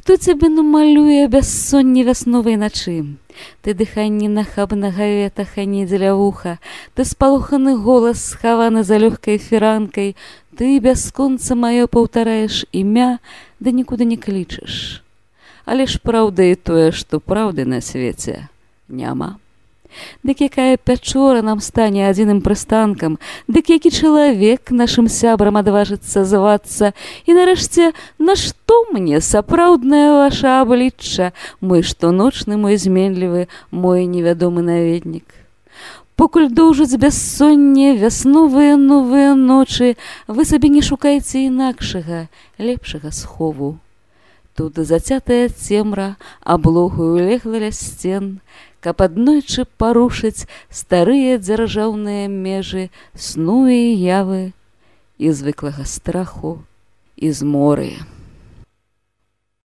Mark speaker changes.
Speaker 1: Хто цябе намалюе бяссонне вясновай начы? Ты дыханне нахабнага ветаха не дзеля вуха, ты спалоханы голас, схаваны за лёгкай фіранкай, ты бясконца маё паўтараеш імя, да нікуды не клічаш. Але ж праўда і тое, што праўды на свеце няма. Дык якая пячора нам стане адзіным прыстанкам, дык які чалавек нашым сябрам адважыцца звацца, і нарэшце, нашто мне сапраўднае ваша аблічча, мой штоночны, мой зменлівы, мой невядомы наведнік. Покуль доўжыць бяссонне вясновыя новыя ночы, вы сабе не шукайце інакшага, лепшага схову. Тут зацятая цемра аблогаю легла ля сцен, каб аднойчы парушыць старыя дзяржаўныя межы сну і явы і звыклага страху і зморы.